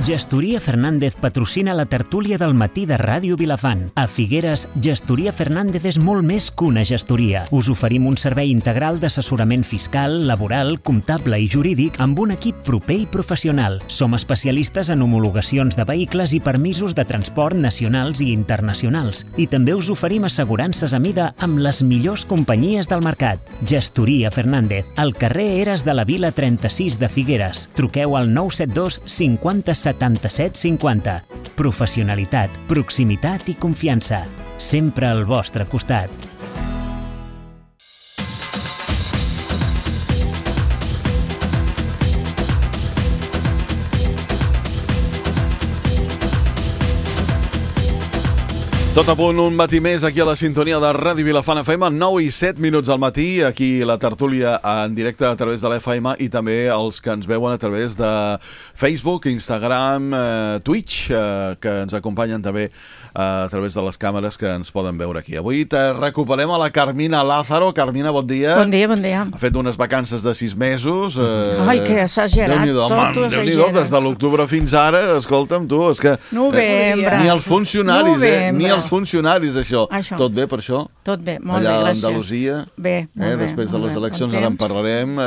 Gestoria Fernández patrocina la tertúlia del matí de Ràdio Vilafant. A Figueres, Gestoria Fernández és molt més que una gestoria. Us oferim un servei integral d'assessorament fiscal, laboral, comptable i jurídic amb un equip proper i professional. Som especialistes en homologacions de vehicles i permisos de transport nacionals i internacionals. I també us oferim assegurances a mida amb les millors companyies del mercat. Gestoria Fernández, al carrer Eres de la Vila 36 de Figueres. Truqueu al 972 50 77 50. Professionalitat, proximitat i confiança. Sempre al vostre costat. Tot a punt, un matí més aquí a la sintonia de Ràdio Vilafant FM, 9 i 7 minuts al matí, aquí la tertúlia en directe a través de l'FM i també els que ens veuen a través de Facebook, Instagram, Twitch, que ens acompanyen també a través de les càmeres que ens poden veure aquí. Avui recuperem a la Carmina Lázaro. Carmina, bon dia. Bon dia, bon dia. Ha fet unes vacances de 6 mesos. Ai, que exagerat, tot ho exageres. Des de l'octubre fins ara, escolta'm tu, és que... Novembre. Ni els funcionaris, ni els funcionaris, això. Tot bé per això? Tot bé, molt bé, gràcies. Allà a gràcies. Andalusia? Bé, molt bé. Després de les eleccions ara en parlarem.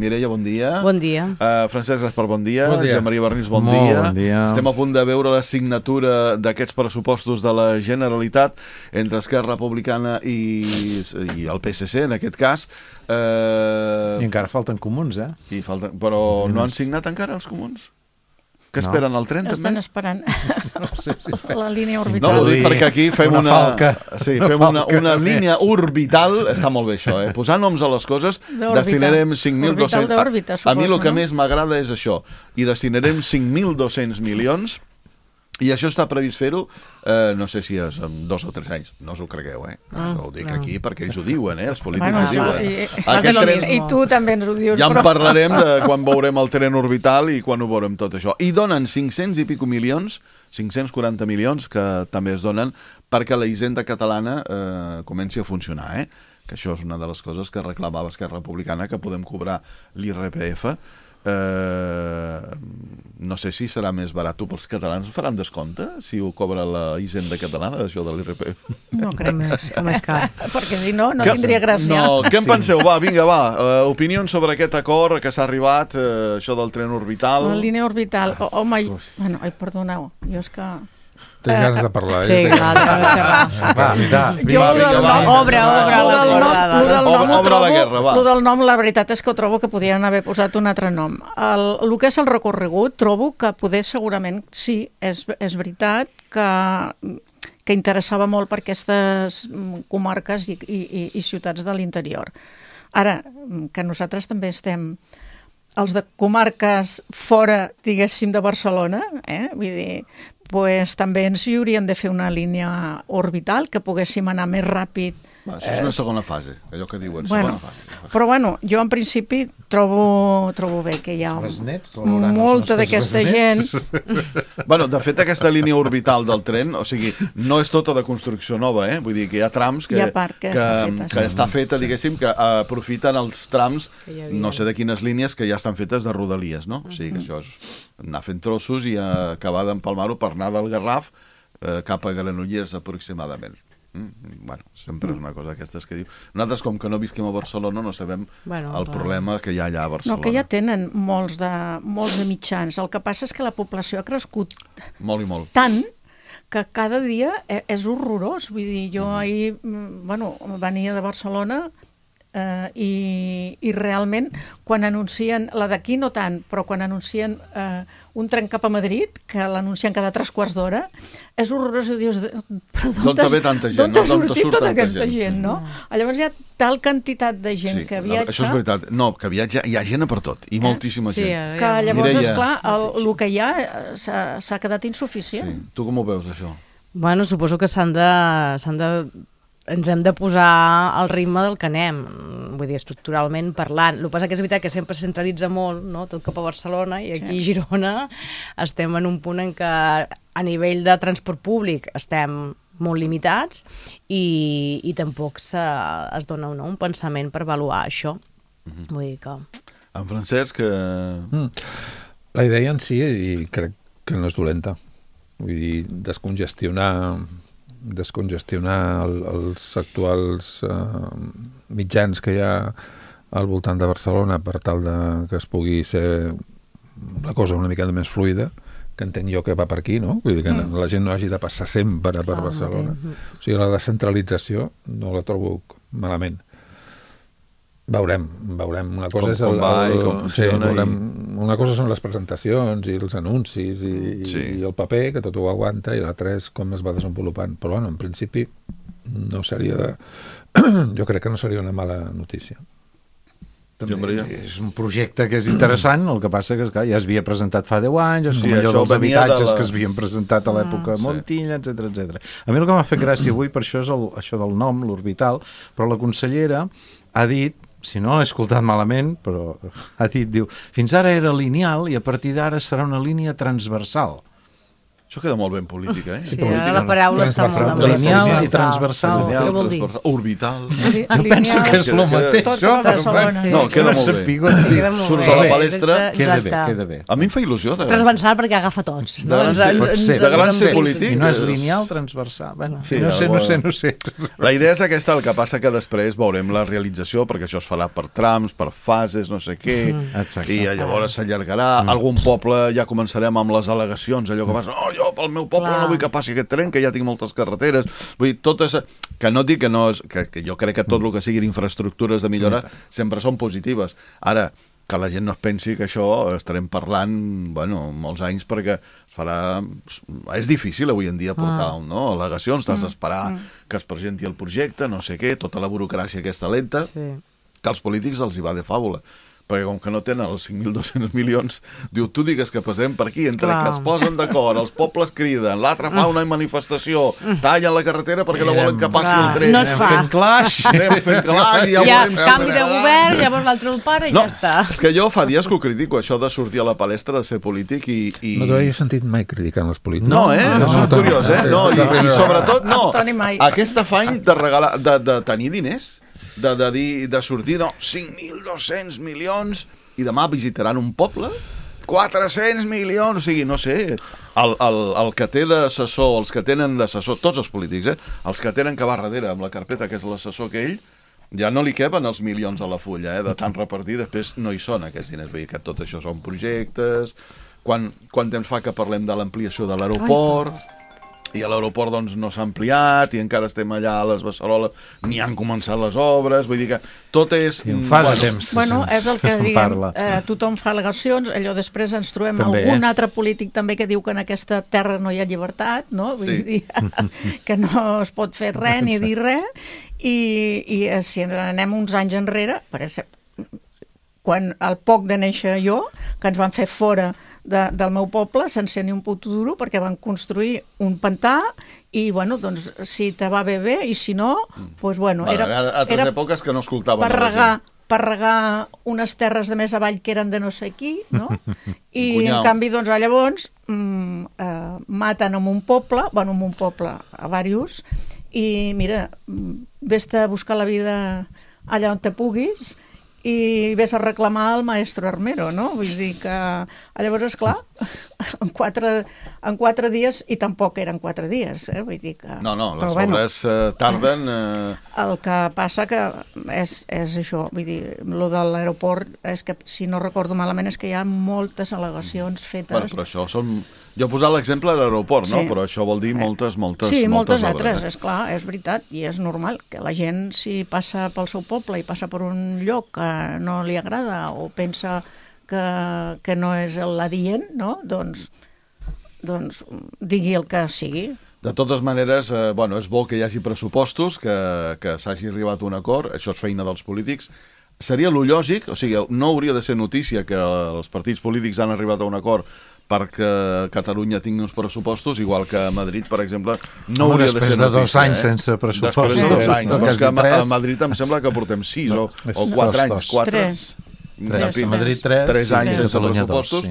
Mireia, bon dia. Bon dia. Francesc Gaspar, bon dia. Bon dia. Josep Maria Bernís, bon dia. Estem a punt de veure la signatura d'aquests pressupostos de la Generalitat entre Esquerra Republicana i el PSC, en aquest cas. I encara falten comuns, Però no han signat encara els comuns? Que esperen el tren, també? Estan esperant la línia No, orbital. ho dic perquè aquí fem una línia més. orbital. Està molt bé això, Posar noms a les coses. Destinarem 5.200... d'òrbita, A mi el que no? més m'agrada és això. I destinarem 5.200 milions. I això està previst fer-ho, no sé si és en 2 o 3 anys. No us ho cregueu, ho dic aquí perquè ells ho diuen, els polítics ho diuen. I tu també ens ho dius. Ja en parlarem de quan veurem el tren orbital i quan ho veurem tot això. I donen 500 i pico milions, 540 milions, que també es donen perquè la hisenda catalana comenci a funcionar, que això és una de les coses que reclamava Esquerra Republicana, que podem cobrar l'IRPF. No sé si serà més barat pels catalans. Faran descompte si ho cobra la hisenda catalana, això de l'IRPF? No crec més, com és car. Perquè si no, no Què- tindria gràcia. No, què en penseu? Vinga, opinions sobre aquest acord que s'ha arribat, això del tren orbital. La línia orbital. Home, perdoneu, jo és que... Tens ganes de parlar, Sí, clar, Obre la guerra, va. Lo del nom, la veritat és que ho trobo que podien haver posat un altre nom. El que és el recorregut, trobo que poder segurament, sí, és veritat que interessava molt per aquestes comarques i ciutats de l'interior. Ara, que nosaltres també estem els de comarques fora, diguéssim, de Barcelona, vull dir, pues, també ens hi haurien de fer una línia orbital que poguéssim anar més ràpid. Això és una segona fase, allò que diuen, segona fase. Però jo en principi trobo bé que hi ha molta d'aquesta gent. De fet, aquesta línia orbital del tren, o sigui, no és tota de construcció nova, vull dir que hi ha trams que està feta, diguéssim, que aprofiten els trams, no sé de quines línies, que ja estan fetes de rodalies, no? O sigui, que això és anar fent trossos i acabar d'empalmar-ho per anar del Garraf cap a Granollers aproximadament. Sempre és una cosa d'aquestes que diu. Nosaltres, com que no visquem a Barcelona, no sabem el problema que hi ha allà a Barcelona. No, que ja tenen molts de mitjans. El que passa és que la població ha crescut tant que cada dia és horrorós. Vull dir, jo ahir venia de Barcelona i realment quan anuncien, la d'aquí no tant, però quan anuncien un tren cap a Madrid, que l'anuncien cada 3 quarts d'hora, és horrorós, i dius, però d'on ve tanta gent? D'on ha sortit tota aquesta gent, no? Llavors hi ha tal quantitat de gent que viatja... Això és veritat. No, que viatja, hi ha gent per tot, i moltíssima gent. Que llavors, esclar, el que hi ha s'ha quedat insuficient. Tu com ho veus, això? Bueno, suposo que ens hem de posar al ritme del que anem, vull dir, estructuralment parlant. El que passa que és veritat que sempre se centralitza molt, no?, tot cap a Barcelona, i aquí a Girona estem en un punt en què a nivell de transport públic estem molt limitats i tampoc es dona un pensament per avaluar això. Vull dir que... En Francesc... La idea en si, i crec que no és dolenta. Vull dir, descongestionar els actuals mitjans que hi ha al voltant de Barcelona per tal que es pugui ser la cosa una mica més fluida, que entenc jo que va per aquí, no? Vull dir que la gent no hagi de passar sempre per Barcelona. O sigui, la descentralització no la trobo malament. Veurem. Una cosa una cosa són les presentacions i els anuncis i el paper, que tot ho aguanta, i l'altre és com es va desenvolupant. Però, bueno, en principi, jo crec que no seria una mala notícia. És un projecte que és interessant, el que passa que ja es havia presentat fa 10 anys, és com allò dels habitatges que es havien presentat a l'època Montilla, etc. A mi el que m'ha fet gràcia avui, per això és això del nom, l'orbital, però la consellera ha dit, si no l'he escoltat malament, però ha dit, diu, fins ara era lineal i a partir d'ara serà una línia transversal. Això queda molt ben política, Sí, la paraula està molt de lineal i transversal. Què vol dir? Orbital. Jo penso que és el mateix. No, queda molt bé. Surts a la palestra. Queda bé. A mi em fa il·lusió. Transversal perquè agafa tots. De gran ser polític. I no és lineal, transversal. No sé. La idea és aquesta, el que passa que després veurem la realització, perquè això es farà per trams, per fases, no sé què, i llavors s'allargarà. Algun poble ja començarem amb les al·legacions, allò que passa, jo pel meu poble no vull que passi aquest tren, que ja tinc moltes carreteres. Vull dir, que no dic que no és... Que jo crec que tot el que siguin infraestructures de millora sempre són positives. Ara, que la gent no es pensi que això estarem parlant, molts anys, perquè és difícil avui en dia portar al·legacions, t'has d'esperar que es presenti el projecte, no sé què, tota la burocràcia aquesta lenta, que als polítics els hi va de fàbula. Perquè com que no tenen els 5.200 milions, diu, tu digues que passem per aquí, entre que es posen d'acord, els pobles criden, l'altre fa una manifestació, tallen la carretera perquè no volen que passi el tren. No es fa. Anem fent clash, ja veurem si canvi de govern, llavors l'altre el para i ja està. És que jo fa dies que ho critico, això de sortir a la palestra, de ser polític i... No t'ho he sentit mai criticant els polítics. No, és curiós, I sobretot, aquest afany de tenir diners, de sortir, 5.200 milions i demà visitaran un poble, 400 milions, o sigui, no sé, el que té d'assessor, els que tenen d'assessor, tots els polítics, els que tenen que va darrere amb la carpeta, que és l'assessor que ell, ja no li queben els milions a la fulla, de tant repartir, després no hi són aquests diners, vull dir que tot això són projectes, quan temps fa que parlem de l'ampliació de l'aeroport... I a l'aeroport doncs no s'ha ampliat i encara estem allà a les Beceroles, ni han començat les obres, vull dir que tot és... Fa de temps. És el que diguem, tothom fa al·legacions, allò després ens trobem algun altre polític també que diu que en aquesta terra no hi ha llibertat, no? Vull dir que no es pot fer res ni dir res, i si ens anem uns anys enrere, per exemple, quan al poc de néixer jo, que ens van fer fora del meu poble sense ni un puto duro perquè van construir un pantà i, doncs, si te va bé i si no, era altres èpoques que no escoltaven per regar unes terres de més avall que eren de no sé qui, no? I en canvi, doncs, llavors maten en un poble, a diversos, i mira, vés-te a buscar la vida allà on te puguis i vés a reclamar el maestro armero, no? Vull dir que llavors, esclar, en 4 dies, i tampoc eren 4 dies, vull dir que... No, les obres tarden... El que passa que és això, vull dir, lo de l'aeroport, és que, si no recordo malament, és que hi ha moltes al·legacions fetes... Bueno, però això són... Jo he posat l'exemple de l'aeroport, no? Però això vol dir moltes obres. Sí, moltes altres, esclar, és veritat, i és normal que la gent, si passa pel seu poble i passa per un lloc que no li agrada o pensa que no és l'adient, no? Doncs digui el que sigui. De totes maneres, és bo que hi hagi pressupostos, que s'hagi arribat a un acord, això és feina dels polítics. Seria lo lògic, o sigui, no hauria de ser notícia que els partits polítics han arribat a un acord perquè Catalunya tingui uns pressupostos, igual que a Madrid, per exemple, no hauria de ser notícia. Després de 2 anys sense pressupostos. Després de 2 anys, però és que a Madrid em sembla que portem 6 o 4 anys. 3. A Madrid 3 anys sense pressupostos.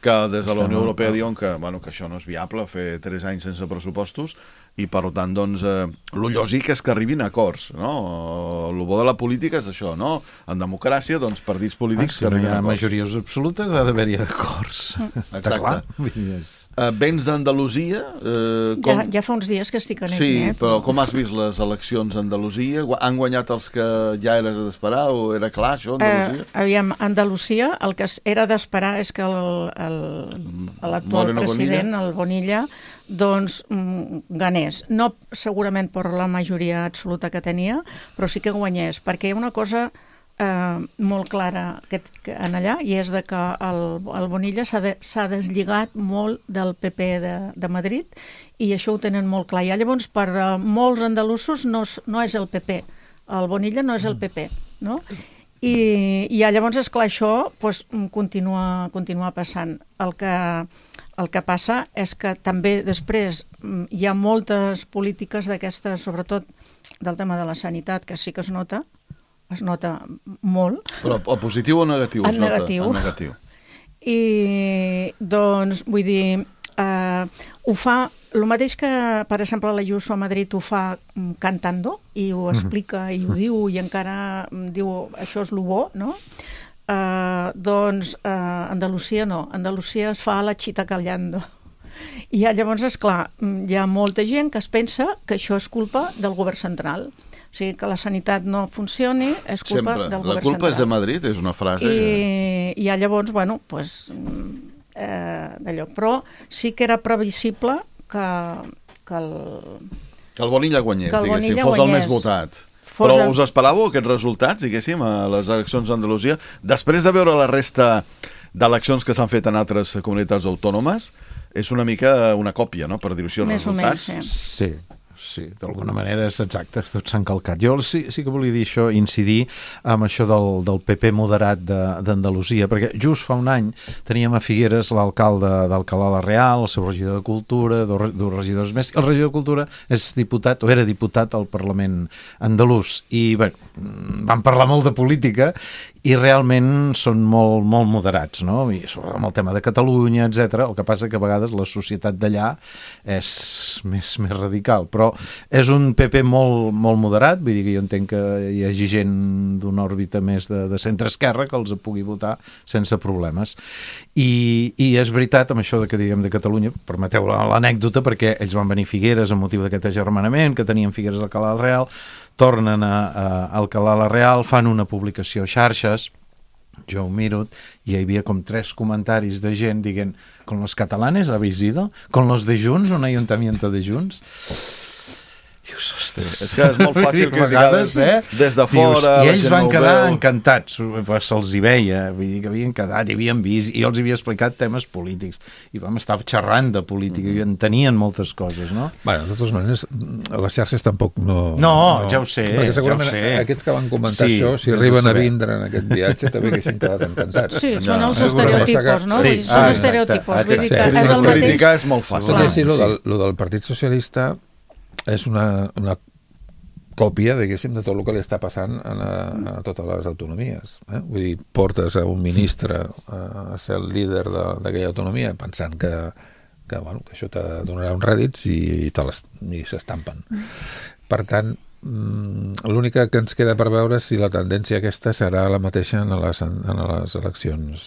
que des de la Unió Europea diuen que això no és viable, fer 3 anys sense pressupostos, i per tant, doncs, el lògic és que arribin a acords, no? El bo de la política és això, no? En democràcia, doncs, partits polítics que arribin a acords. Si no hi ha majories absolutes, ha d'haver-hi acords. Exacte. Vens d'Andalusia... Ja fa uns dies que estic en Sí, però com has vist les eleccions a Andalusia? Han guanyat els que ja eres d'esperar o era clar, això, Andalusia? Aviam, Andalusia, el que era d'esperar és que l'actual president, el Bonilla, doncs ganés. No segurament per la majoria absoluta que tenia, però sí que guanyés, perquè hi ha una cosa molt clara en allà, i és de que el Bonilla s'ha deslligat molt del PP de Madrid, i això ho tenen molt clar. I llavors, per molts andalusos no és el PP, el Bonilla no és el PP, no? I llavors, esclar, això continua passant. El que passa és que també després hi ha moltes polítiques d'aquestes, sobretot del tema de la sanitat, que sí que es nota molt. Però el positiu o negatiu? En negatiu. I, doncs, vull dir, ho fa, el mateix que, per exemple, l'Ayuso a Madrid ho fa cantando, i ho explica, i ho diu, i encara diu, això és lo bo, no? Doncs Andalusia no. Andalusia es fa la chita callando. I llavors, esclar, hi ha molta gent que es pensa que això és culpa del govern central. O sigui, que la sanitat no funcioni és culpa del govern central. La culpa és de Madrid, és una frase. I llavors, bueno, doncs, d'allò. Però sí que era previsible que el Bonilla guanyés, diguéssim, fos el més votat. Però us esperàveu aquests resultats, diguéssim, a les eleccions d'Andalusia? Després de veure la resta d'eleccions que s'han fet en altres comunitats autònomes, és una mica una còpia, no?, per dir-ho així, els resultats. Sí, d'alguna manera és exacte, tots s'han calcat. Jo sí que volia dir això, incidir amb això del PP moderat d'Andalusia, perquè just fa un any teníem a Figueres l'alcalde d'Alcalá la Real, el seu regidor de Cultura, dos regidors més, el regidor de Cultura és diputat, o era diputat al Parlament andalús, i bé, van parlar molt de política i realment són molt moderats, no? I amb el tema de Catalunya, etc. El que passa que a vegades la societat d'allà és més radical, però és un PP molt moderat, vull dir que jo entenc que hi hagi gent d'una òrbita més de centre-esquerra que els pugui votar sense problemes. I és veritat, amb això que diguem de Catalunya, permeteu l'anècdota, perquè ells van venir a Figueres amb motiu d'aquest agermanament que tenien Figueres a Alcalá la Real, tornen a Alcalá la Real, fan una publicació a xarxes, jo ho miro, i hi havia com 3 comentaris de gent dient, con los catalanes habéis ido, con los de Junts, un ayuntamiento de Junts. Dius, ostres, és que és molt fàcil criticar des de fora. I ells van quedar encantats, se'ls hi veia, vull dir que havien quedat, hi havien vist, i jo els havia explicat temes polítics, i vam estar xerrant de política, i entenien moltes coses, no? Bé, de totes maneres, les xarxes tampoc no... No, ja ho sé, perquè segurament aquests que van comentar això, si arriben a vindre en aquest viatge, també haguessin quedat encantats. Sí, són els estereotipos, no? Són estereotipos, vull dir que és el mateix... Criticar és molt fàcil. Lo del Partit Socialista és una còpia, diguéssim, de tot el que li està passant a totes les autonomies. Vull dir, portes a un ministre a ser el líder d'aquella autonomia pensant que això te donarà uns rèdits i s'estampen. Per tant, l'únic que ens queda per veure si la tendència aquesta serà la mateixa en les eleccions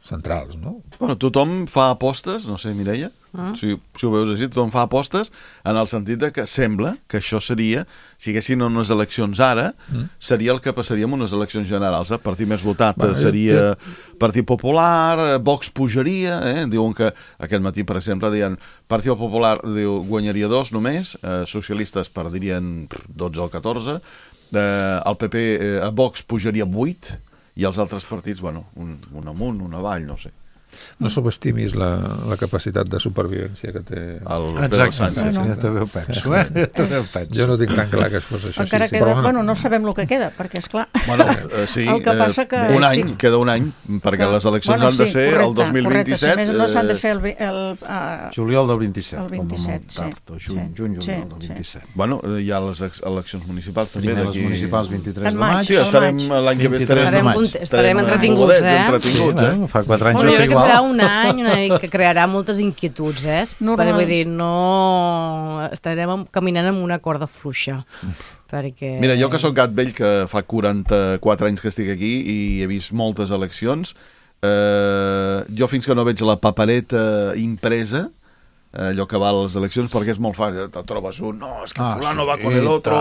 centrals, no? Bueno, tothom fa apostes, no sé, Mireia, si ho veus així, tothom fa apostes en el sentit de que sembla que això seria, si haguessin unes eleccions ara, seria el que passaria en unes eleccions generals. El partit més votat seria Partit Popular, Vox pujaria, diuen que aquest matí, per exemple, deien Partit Popular guanyaria 2 només, socialistes perdrien 12 o 14, el PP, Vox pujaria 8, i els altres partits, bueno, un amunt, un avall, no sé. No subestimis la capacitat de supervivència que té el Pedro Sánchez. Ja també ho penso, Jo no tinc tan clar que es fos això. Encara queda, bueno, no sabem el que queda, perquè esclar... Bueno, sí, queda un any, perquè les eleccions han de ser el 2027. Correcte, no s'han de fer el juliol del 27. El 27, sí. Juny, juliol del 27. Bueno, hi ha les eleccions municipals també. Primer les municipals 23 de maig. Sí, estarem l'any que ve estarem entretinguts, entretinguts. Fa 4 anys no sé igual. serà un any que crearà moltes inquietuds, perquè vull dir, no estarem caminant amb una corda fluixa. Perquè... Mira, jo que sóc gat vell, que fa 44 anys que estic aquí i he vist moltes eleccions, jo fins que no veig la papereta impresa, allò que va a les eleccions, perquè és molt fàcil, te trobes un, no, és que fulano va con el otro,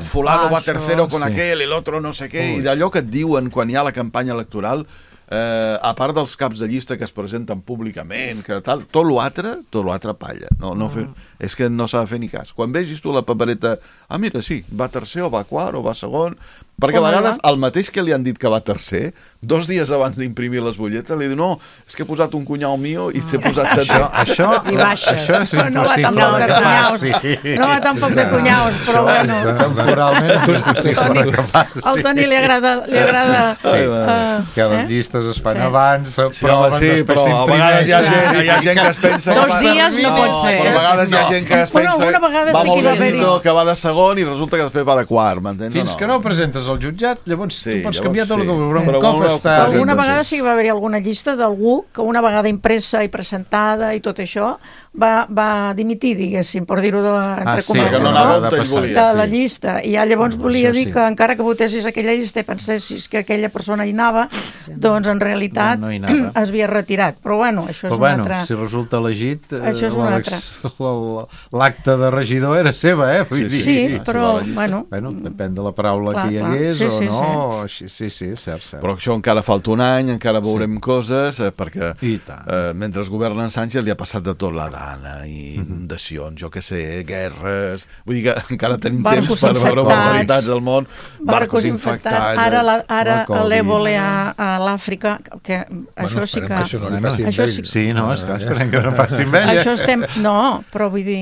fulano va tercero con aquel, el otro no sé què, i d'allò que et diuen quan hi ha la campanya electoral, a part dels caps de llista que es presenten públicament, que tal, tot l'altre palla. És que no s'ha de fer ni cas. Quan vegis tu la papereta, mira, sí, va tercer o va quart o va segon, perquè a vegades el mateix que li han dit que va tercer, 2 dies abans d'imprimir les butlletes, li diu, no, és que he posat un cunyau mío i t'he posat 7. Això és impossible que passi. No va tampoc de cunyaus, però bueno. Temporalment és impossible que passi. Al Toni li agrada... Que les llistes es fan abans, sí, però a vegades hi ha gent que es pensa... 2 dies no pot ser. Però a vegades hi ha gent que es pensa va molt benito, que va de segon i resulta que després va de quart, m'entens? Fins que no presentes al jutjat, llavors tu pots canviar tot el que un cop està... Alguna vegada sí que va haver-hi alguna llista d'algú que una vegada impressa i presentada i tot això va dimitir, diguéssim, per dir-ho entre cometes, de la llista. I llavors volia dir que encara que votessis aquella llista i pensessis que aquella persona hi anava, doncs en realitat es havia retirat. Però bueno, això és un altre... Si resulta elegit, l'acte de regidor era seva, Sí, però bueno... Depèn de la paraula que hi hagués o no. Sí, cert. Però això encara falta un any, encara veurem coses, perquè mentre governa Sánchez li ha passat de tot la dana, i inundacions, jo què sé, guerres... Vull dir que encara tenim temps per veure barbaritats al món, barcos infectats... Ara l'èbola a l'Àfrica, que això sí que... Sí, no, esperem que no passi amb ella. No, però vull dir...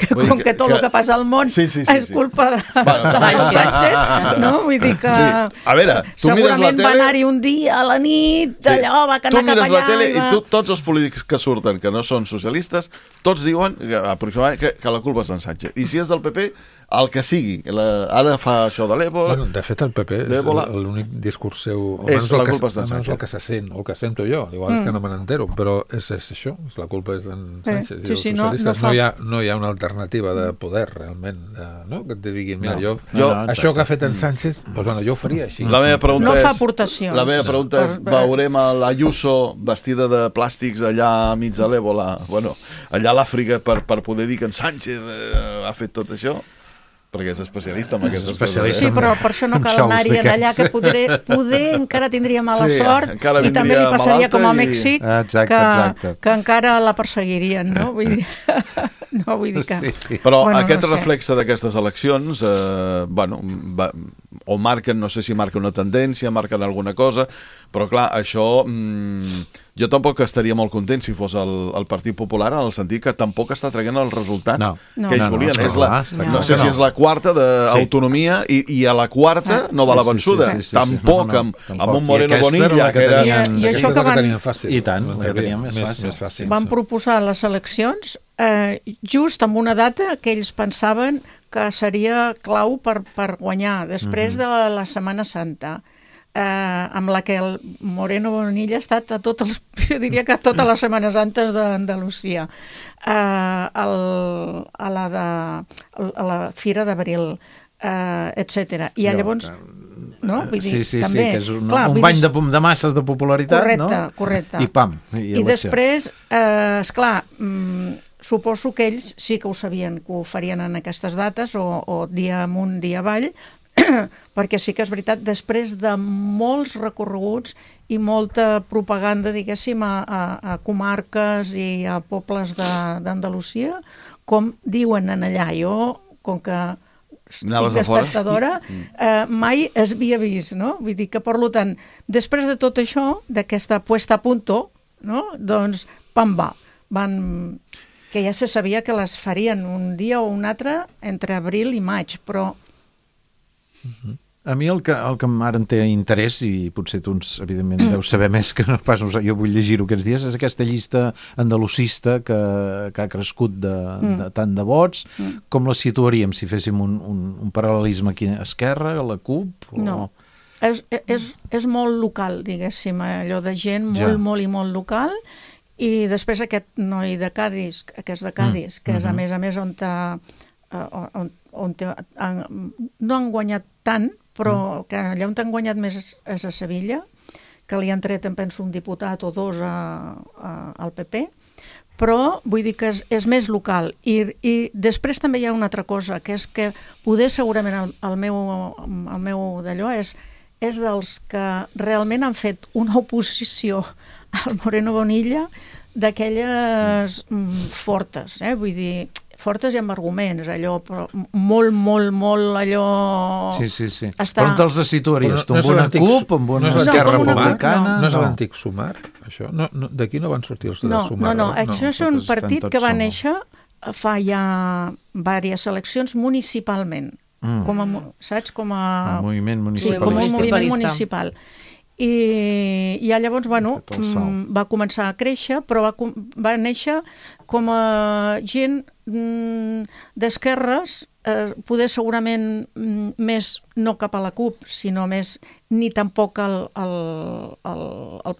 com que tot el que passa al món és culpa de Sánchez, no? Vull dir que segurament va anar-hi un dia a la nit, d'allò, va anar cap allà... Tu mires la tele i tots els polítics que surten, que no són socialistes, tots diuen aproximadament que la culpa és d'en Sánchez. I si és del PP, el que sigui. Ara fa això de l'èbola... De fet, el PP és l'únic discurs seu... És la culpa és d'en Sánchez. El que se sent, o el que sento jo. Igual és que no me n'entero, però és això, la culpa és d'en Sánchez. No hi ha una alternativa de poder, realment, que et diguin, mira, això que ha fet en Sánchez, jo ho faria així. La meva pregunta no fa aportacions. La meva pregunta és, veurem a l'Ayuso vestida de plàstics allà mig de l'èbola, allà a l'Àfrica, per poder dir que en Sánchez ha fet tot això? Perquè és especialista en aquestes coses. Sí, però per això no cal anar-hi d'allà, que poder encara tindria mala sort i també li passaria com a Mèxic, que encara la perseguirien, no? Vull dir que... Però aquest reflexe d'aquestes eleccions, o marquen, no sé si marquen una tendència, marquen alguna cosa, però clar, això... Jo tampoc estaria molt content si fos el Partit Popular, en el sentit que tampoc està traient els resultats que ells volien. No sé si és la quarta d'autonomia i a la quarta no va la vençuda. Tampoc amb un Moreno Bonilla, que era... I això que tenien fàcil. I tant, que tenien més fàcil. Van proposar les eleccions just amb una data que ells pensaven que seria clau per guanyar, després de la Setmana Santa. Amb la que el Moreno Bonilla ha estat jo diria que a totes les Setmanes Santes d'Andalusia, a la Fira d'Abril, etc. I llavors... Sí, que és un bany de masses de popularitat, no? Correcte. I pam. I després, esclar, suposo que ells sí que ho sabien, que ho farien en aquestes dates, o dia amunt, dia avall, perquè sí que és veritat, després de molts recorreguts i molta propaganda, diguéssim, a comarques i a pobles d'Andalusia, com diuen en allà, jo, com que estic espectadora, mai es havia vist, no? Vull dir que, per tant, després de tot això, d'aquesta puesta a punto, no? Doncs, pam, que ja se sabia que les farien un dia o un altre entre abril i maig, però A mi el que ara em té interès, i potser tu, evidentment, deus saber més que no pas jo vull llegir-ho aquests dies, és aquesta llista andalusista que ha crescut de tant de vots. Com la situaríem si féssim un paral·lelisme aquí a Esquerra, a la CUP? No. és molt local, diguéssim, allò de gent molt i molt local, i després aquest noi de Cádiz, que és de Cádiz, que és a més on no han guanyat tant, però que allà on han guanyat més és a Sevilla, que li han tret, em penso, un diputat o dos al PP, però vull dir que és més local. I després també hi ha una altra cosa, que és que poder segurament el meu d'allò és dels que realment han fet una oposició al Moreno Bonilla d'aquelles fortes, vull dir, fortes i amb arguments, allò, però molt allò... Sí. Però on te'ls situaries? Tu amb una CUP, amb una Esquerra Republicana? No és l'antic Sumar, això? D'aquí no van sortir els de Sumar? No, això és un partit que va néixer fa ja diverses eleccions municipalment, saps? Com a moviment municipalista. Sí, com un moviment municipal. I llavors, va començar a créixer, però va néixer com a gent d'esquerres, poder segurament més no cap a la CUP, sinó més ni tampoc al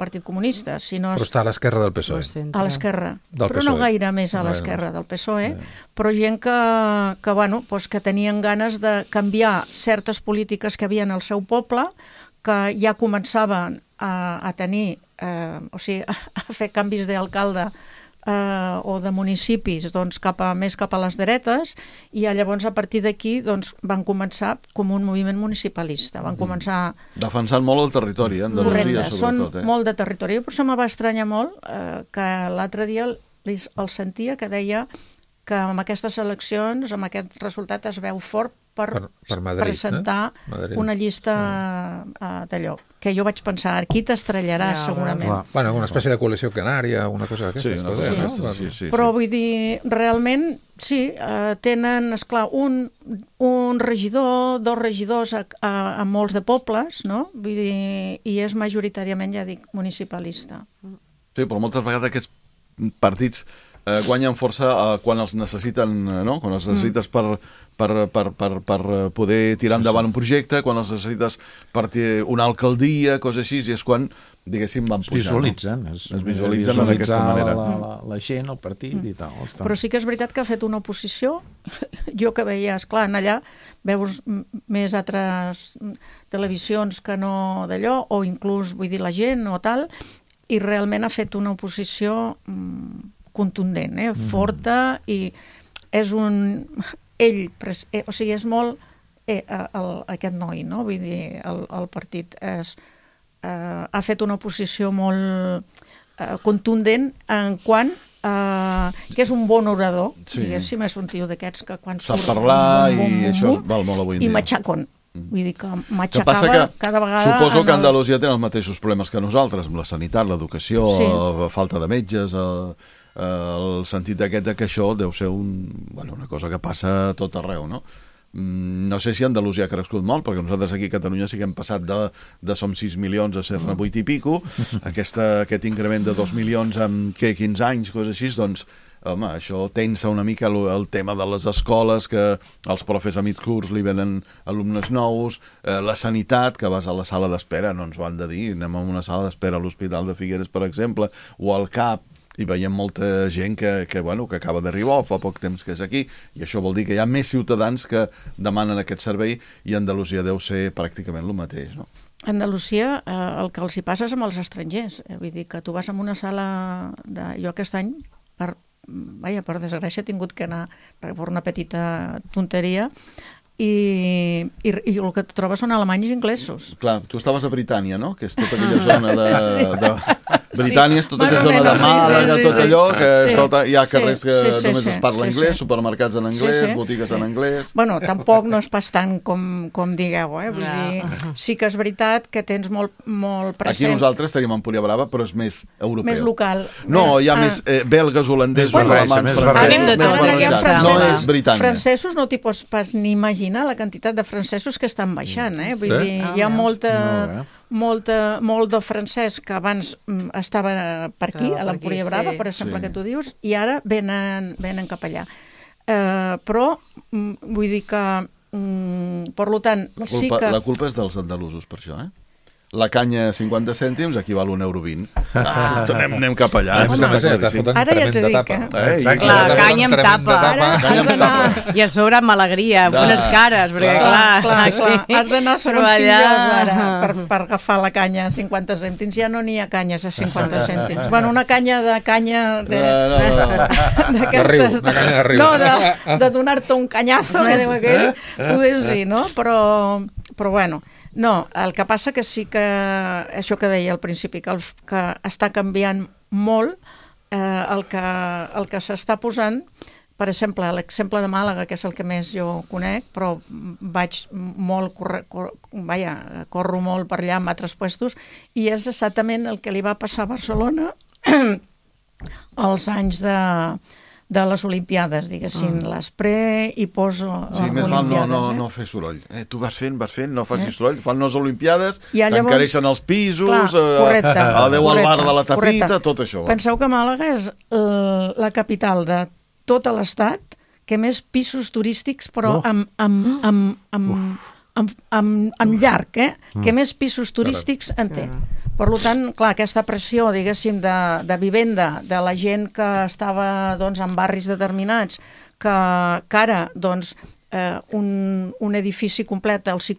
Partit Comunista, sinó... Però està a l'esquerra del PSOE. A l'esquerra, però no gaire més a l'esquerra del PSOE, però gent que tenien ganes de canviar certes polítiques que havien al seu poble, que ja començaven a tenir, a fer canvis d'alcalde o de municipis més cap a les dretes, i llavors a partir d'aquí van començar com un moviment municipalista. Van començar... Defensant molt el territori, Andalusia sobretot. Són molt de territori. Per això me va estranyar molt que l'altre dia el sentia que deia que amb aquestes eleccions, amb aquest resultat, es veu fort per Madrid, presentar una llista d'allò. Que jo vaig pensar, aquí t'estrellaràs segurament. Bueno, una espècie de coalició canària, una cosa d'aquestes. Sí. Però vull dir, realment, sí, tenen, esclar, un regidor, dos regidors a molts de pobles, no? Vull dir, i és majoritàriament, ja dic, municipalista. Sí, però moltes vegades aquests partits guanyen força quan els necessiten, no? Quan els necessites per poder tirar endavant un projecte, quan els necessites per una alcaldia, coses així, i és quan, diguéssim, van pujar. Es visualitzen d'aquesta manera. La gent, el partit i tal. Però sí que és veritat que ha fet una oposició. Jo que veia, esclar, allà veus més altres televisions que no d'allò, o inclús, vull dir, la gent o tal, i realment ha fet una oposició contundent, forta, i és és molt aquest noi, no? Vull dir, el partit ha fet una oposició molt contundent en quant que és un bon orador, diguéssim, és un tio d'aquests que quan surt... Sap parlar i això val molt avui en dia. I matxacon. Vull dir que m'aixecava cada vegada... Suposo que Andalusia té els mateixos problemes que nosaltres, amb la sanitat, l'educació, falta de metges, el sentit aquest que això deu ser una cosa que passa a tot arreu, no? No sé si Andalusia ha crescut molt, perquè nosaltres aquí a Catalunya sí que hem passat de som 6 milions a ser-ne 8 i pico, aquest increment de 2 milions en 15 anys, coses així, doncs home, això tensa una mica el tema de les escoles, que els profes a mig curs li venen alumnes nous, la sanitat, que vas a la sala d'espera, no ens ho han de dir, anem a una sala d'espera a l'Hospital de Figueres, per exemple, o al CAP, i veiem molta gent que acaba d'arribar o fa poc temps que és aquí, i això vol dir que hi ha més ciutadans que demanen aquest servei, i Andalusia deu ser pràcticament el mateix, no? Andalusia, el que els hi passa és amb els estrangers, vull dir que tu vas a una sala jo aquest any, per desgràcia he tingut que anar per una petita tonteria, i el que et trobes són alemanys i inglesos. Clar, tu estaves a Britània, no? Que és tota aquella zona de Britània, és tota aquella zona de Màlaga, tot allò, que hi ha carrers que només es parla anglès, supermercats en anglès, botigues en anglès... Bueno, tampoc no és pas tant com digueu, vull dir, sí que és veritat que tens molt present... Aquí nosaltres tenim Empúria Brava, però és més europeu. Més local. No, hi ha més belgues, holandesos, alemans, francesos, no és britània. Francesos no t'hi pots pas ni imaginar la quantitat de francesos que estan baixant, vull dir, hi ha molt de francès que abans estava per aquí, a l'Empúria Brava, per exemple, que tu dius, i ara venen cap allà. Però vull dir que Per tant, sí que... La culpa és dels andalusos, per això, La canya 50 cèntims equival a €1,20. Anem cap allà. Ara ja t'he dit, Clar, canya amb tapa. I a sobre amb alegria, amb unes cares, perquè clar, has d'anar segons quin llocs ara per agafar la canya a 50 cèntims. Ja no n'hi ha canyes a 50 cèntims. Bueno, una canya d'aquestes... Una canya de riu. No, de donar-te un canyazo, que diu aquell, poder sí, no? Però bueno... No, el que passa que sí que, això que deia al principi, que està canviant molt el que s'està posant, per exemple, l'exemple de Màlaga, que és el que més jo conec, però corro molt per allà en altres puestos, i és exactament el que li va passar a Barcelona als anys de les Olimpiades, diguéssim, l'Espre i poso sí, més val no fer soroll. Tu vas fent, no facis soroll, fan les Olimpiades, t'encareixen els pisos, adeu al bar de la tapita, tot això. Penseu que Màlaga és la capital de tot l'estat que més pisos turístics, però amb llarg, que més pisos turístics en té. Per tant, clar, aquesta pressió, diguéssim, de vivenda, de la gent que estava en barris determinats, que ara, un edifici complet els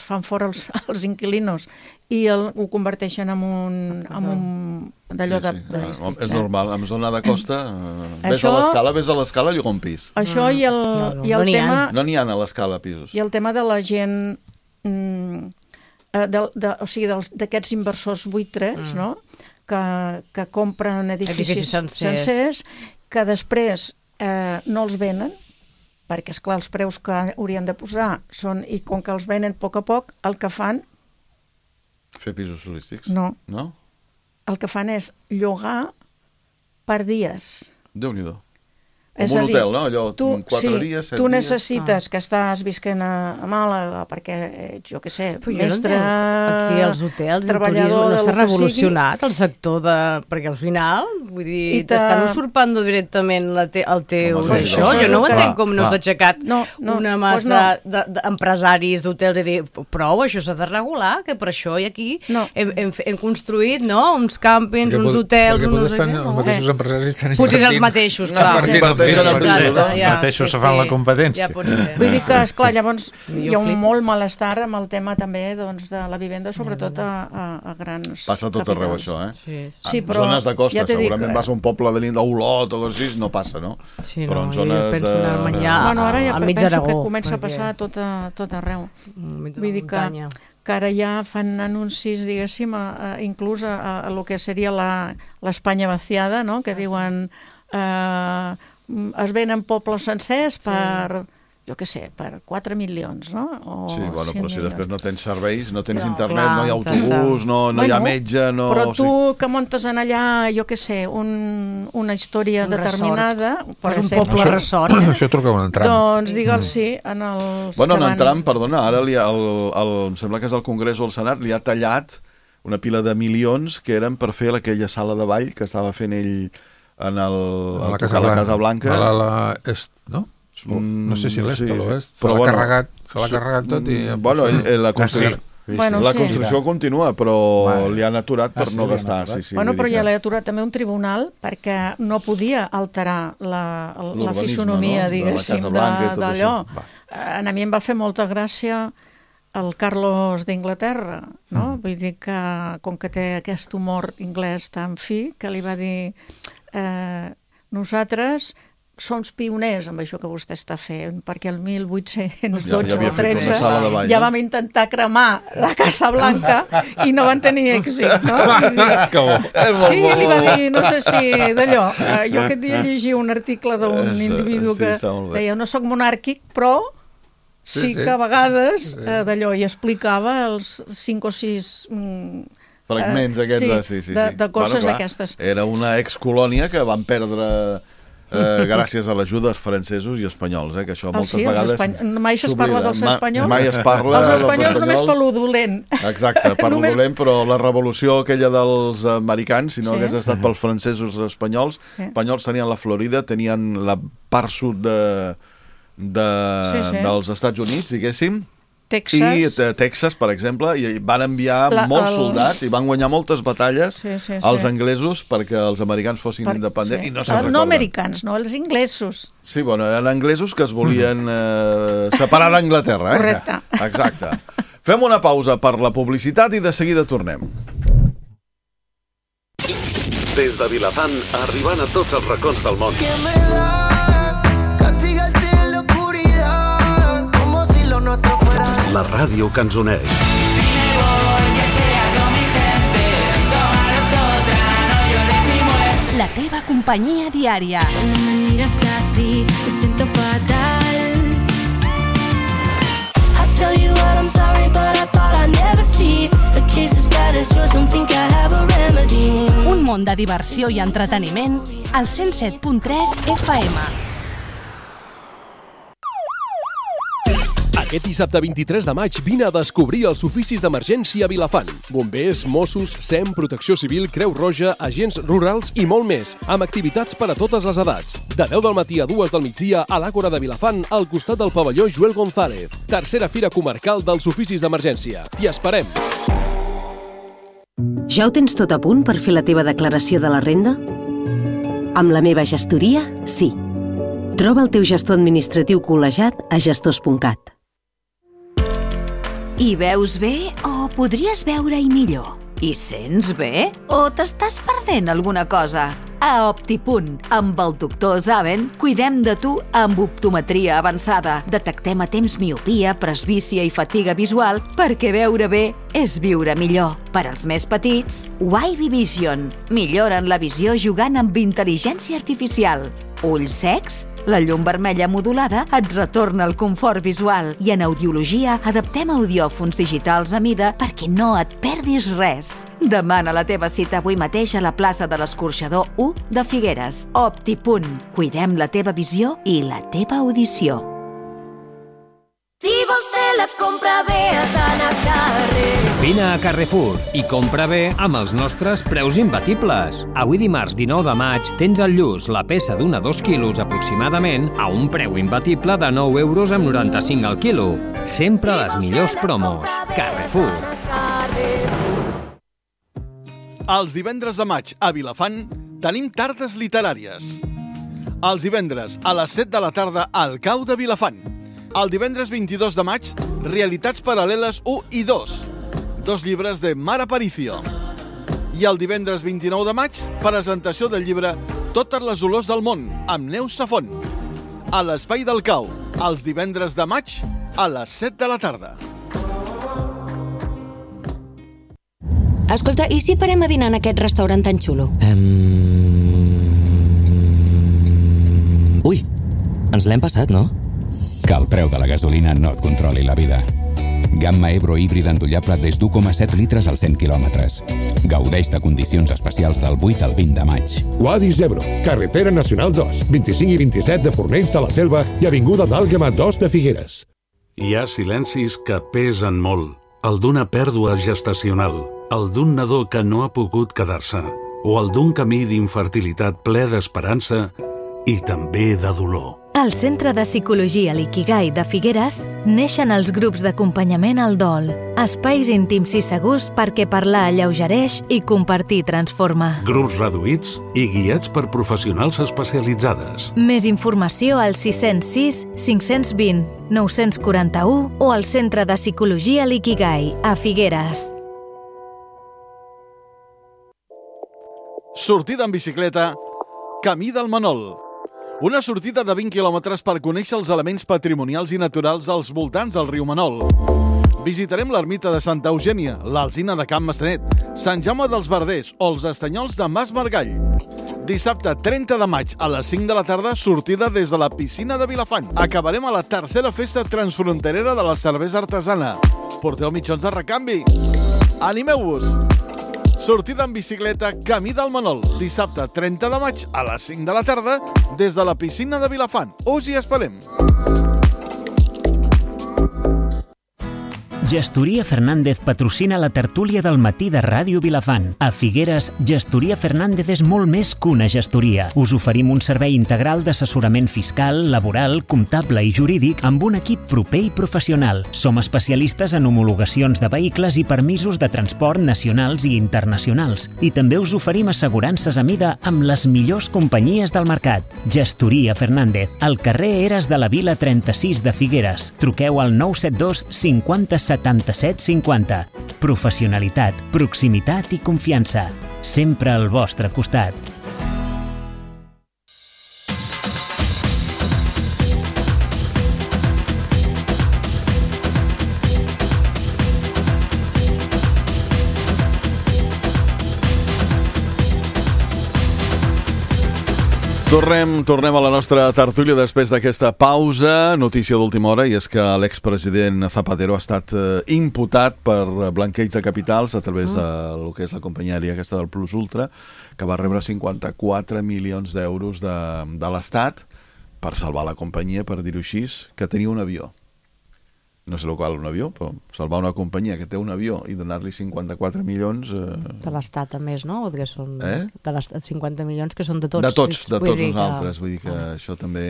fan fora els inquilinos i ho converteixen en un d'allò de... És normal, en zona de costa, ves a l'escala i llogar un pis. Això i el tema... No n'hi ha a l'escala pisos. I el tema de la gent... o sigui, d'aquests inversors buitres, no?, que compren edificis sencers, que després no els venen, perquè, esclar, els preus que haurien de posar són, i com que els venen a poc, el que fan... Fer pisos turístics? No. No? El que fan és llogar per dies. Déu-n'hi-do. Com un hotel, no? Allò, 4 dies, 7 dies... Tu necessites que estàs visquent a Màlaga perquè, jo què sé, mestre... Aquí els hotels, el turisme, no s'ha revolucionat el sector de... Perquè al final, vull dir, t'estan usurpant directament el teu d'això. Jo no ho entenc com no s'ha aixecat una massa d'empresaris d'hotels i dir, prou, això s'ha de regular, que per això i aquí hem construït, no?, uns càmpings, uns hotels... Perquè potser els mateixos empresaris estan invertint... Potser els mateixos, clar. Mateixos se fan la competència. Ja pot ser. Vull dir que, esclar, llavors hi ha un molt malestar amb el tema també de la vivenda, sobretot a grans... Passa tot arreu això, Sí, però... En zones de costa, segurament vas a un poble de l'Olot o així, no passa, no? Però en zones de... Bueno, ara ja penso que comença a passar tot arreu. Vull dir que ara ja fan anuncis, diguéssim, inclús a lo que seria l'Espanya vaciada, no?, que diuen... es venen pobles sencers per, jo què sé, per 4 milions, no? Sí, bueno, però si després no tens serveis, no tens internet, no hi ha autobús, no hi ha metge, no... Però tu que muntes en allà, jo què sé, una història determinada... Però és un poble ressort. Això truca un entram. Doncs digue'ls sí, en els... Bueno, en entram, perdona, ara em sembla que és el Congrés o el Senat, li ha tallat una pila de milions que eren per fer aquella sala de ball que estava fent ell a la Casa Blanca. A la est, no? No sé si l'est o l'oest. Se l'ha carregat tot i... Bueno, la construcció continua, però li han aturat per no gastar. Bueno, però ja l'ha aturat també un tribunal perquè no podia alterar la fisonomia, diguéssim, d'allò. A mi em va fer molta gràcia el Carlos d'Inglaterra, no? Vull dir que, com que té aquest humor anglès tan fi, que li va dir... nosaltres som pioners amb això que vostè està fent, perquè el 1812 o 13 ja vam intentar cremar la Casa Blanca i no van tenir èxit, no? Sí, li va dir, no sé si d'allò, jo aquest dia llegia un article d'un individu que deia, no soc monàrquic, però sí que a vegades d'allò, i explicava els 5 o 6... fragments aquests, de coses aquestes. Era una excolònia que van perdre gràcies a l'ajuda dels francesos i espanyols, que això moltes vegades... Mai es parla dels espanyols. Mai es parla dels espanyols. Només per lo dolent. Exacte, per lo dolent, però la revolució aquella dels americans, si no hagués estat pels francesos i els espanyols tenien la Florida, tenien la part sud dels Estats Units, diguéssim, Texas. I Texas, per exemple, i van enviar molts soldats i van guanyar moltes batalles als anglesos perquè els americans fossin independents i no se'n recorden. No americans, no, els inglesos. Sí, bueno, eren anglesos que es volien separar d'Anglaterra. Correcte. Exacte. Fem una pausa per la publicitat i de seguida tornem. Des de Vilafant, arribant a tots els racons del món. La ràdio que ens uneix. La teva companyia diària. Me miras así, me siento fatal. I tell you what, I'm sorry, but I thought I'd never see a case as bad as yours, don't think I have a remedy. Un món de diversió i entreteniment al 107.3 FM. Aquest dissabte 23 de maig vine a descobrir els oficis d'emergència a Vilafant. Bombers, Mossos, SEM, Protecció Civil, Creu Roja, agents rurals i molt més, amb activitats per a totes les edats. De 10 del matí a 2 del migdia a l'Àgora de Vilafant, al costat del pavelló Joel González. Tercera Fira Comarcal dels Oficis d'Emergència. T'hi esperem! Ja ho tens tot a punt per fer la teva declaració de la renda? Amb la meva gestoria, sí. Troba el teu gestor administratiu col·legiat a gestors.cat. Hi veus bé o podries veure-hi millor? Hi sents bé o t'estàs perdent alguna cosa? A Optipunt, amb el doctor Zaven, cuidem de tu amb optometria avançada. Detectem a temps miopia, presbícia i fatiga visual perquè veure bé és viure millor. Per als més petits, Wavy Vision. Milloren la visió jugant amb intel·ligència artificial. Ulls secs? La llum vermella modulada et retorna el confort visual i en audiologia adaptem audiòfons digitals a mida perquè no et perdis res. Demana la teva cita avui mateix a la plaça de l'Escorxador 1 de Figueres. Optipunt. Cuidem la teva visió i la teva audició. Si vols fer la compra bé has d'anar a carrer. Vine a Carrefour i compra bé amb els nostres preus imbatibles. Avui dimarts 19 de maig tens al Lluç la peça d'una 2 quilos aproximadament a un preu imbatible de 9,95 € al quilo. Sempre les millors promos. Carrefour. Els divendres de maig a Vilafant tenim tardes literàries. Els divendres a les 7 de la tarda al Cau de Vilafant. El divendres 22 de maig, Realitats paral·leles 1 i 2. 2 llibres de Mar Aparicio. I el divendres 29 de maig, presentació del llibre Totes les olors del món, amb Neus Safont. A l'Espai del Cau, els divendres de maig, a les 7 de la tarda. Escolta, i si parem a dinar en aquest restaurant tan xulo? Ui, ens l'hem passat, no? Que el preu de la gasolina no et controli la vida. Gamma Ebro híbrida endollable des d'1,7 litres als 100 quilòmetres. Gaudeix de condicions especials del 8 al 20 de maig. Wadis Ebro, carretera nacional 2, 25 i 27 de Fornells de la Selva i avinguda d'Àlguema 2 de Figueres. Hi ha silencis que pesen molt. El d'una pèrdua gestacional, el d'un nadó que no ha pogut quedar-se, o el d'un camí d'infertilitat ple d'esperança i també de dolor. Al Centre de Psicologia L'Ikigai de Figueres neixen els grups d'acompanyament al dol, espais íntims i segurs perquè parlar alleugereix i compartir transforma. Grups reduïts i guiats per professionals especialitzades. Més informació al 606 520 941 o al Centre de Psicologia L'Ikigai a Figueres. Sortida en bicicleta, Camí del Manol. Una sortida de 20 quilòmetres per conèixer els elements patrimonials i naturals als voltants del riu Manol. Visitarem l'ermita de Santa Eugènia, l'Alzina de Can Maçanet, Sant Jaume dels Verders o els estanyols de Mas Margall. Dissabte 30 de maig a les 5 de la tarda, sortida des de la piscina de Vilafant. Acabarem a la tercera festa transfronterera de la cervesa artesana. Porteu mitjons de recanvi. Animeu-vos! Sortida en bicicleta Camí del Manol, dissabte 30 de maig a les 5 de la tarda des de la piscina de Vilafant. Us hi esperem! Gestoria Fernández patrocina la tertúlia del matí de Ràdio Vilafant. A Figueres, Gestoria Fernández és molt més que una gestoria. Us oferim un servei integral d'assessorament fiscal, laboral, comptable i jurídic amb un equip proper i professional. Som especialistes en homologacions de vehicles i permisos de transport nacionals i internacionals. I també us oferim assegurances a mida amb les millors companyies del mercat. Gestoria Fernández, al carrer Eres de la Vila 36 de Figueres. Truqueu al 972 50 77 50. Professionalitat, proximitat i confiança. Sempre al vostre costat. Tornem a la nostra tertúlia després d'aquesta pausa. Notícia d'última hora, i és que l'expresident Zapatero ha estat imputat per blanqueig de capitals a través del que és la companyia aèria aquesta del Plus Ultra, que va rebre 54 milions d'euros de l'Estat per salvar la companyia, per dir-ho així, que tenia un avió. No sé el qual un avió, però salvar una companyia que té un avió i donar-li 54 milions... De l'Estat, a més, no? Que són de l'Estat 50 milions, que són de tots. De tots nosaltres. Vull dir que això també...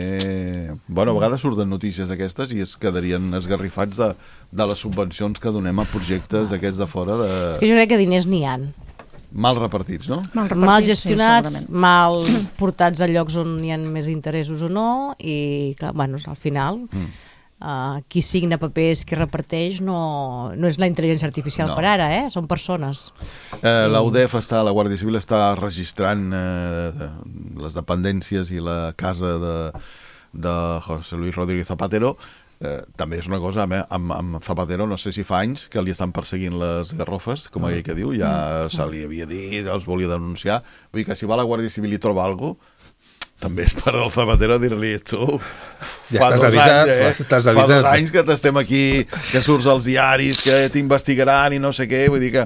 Bueno, a vegades surten notícies aquestes i es quedarien esgarrifats de les subvencions que donem a projectes d'aquests de fora. És que jo crec que diners n'hi ha. Mal repartits, no? Mal gestionats, sí, mal portats a llocs on hi ha més interessos o no, i, clar, bueno, al final... qui signa papers, qui reparteix, no és la intel·ligència artificial per ara, són persones. La UDEF la Guàrdia Civil està registrant les dependències i la casa de José Luis Rodríguez Zapatero. També és una cosa, amb Zapatero no sé si fa anys que li estan perseguint les garrofes, com aquell que diu, ja se li havia dit, els volia denunciar. Vull dir que si va a la Guàrdia Civil i troba alguna cosa, també és per al Zapatero dir-li, tu, ja estàs avisat, fa 2 anys que t'estem aquí, que surts als diaris, que t'investigaran i no sé què, vull dir que,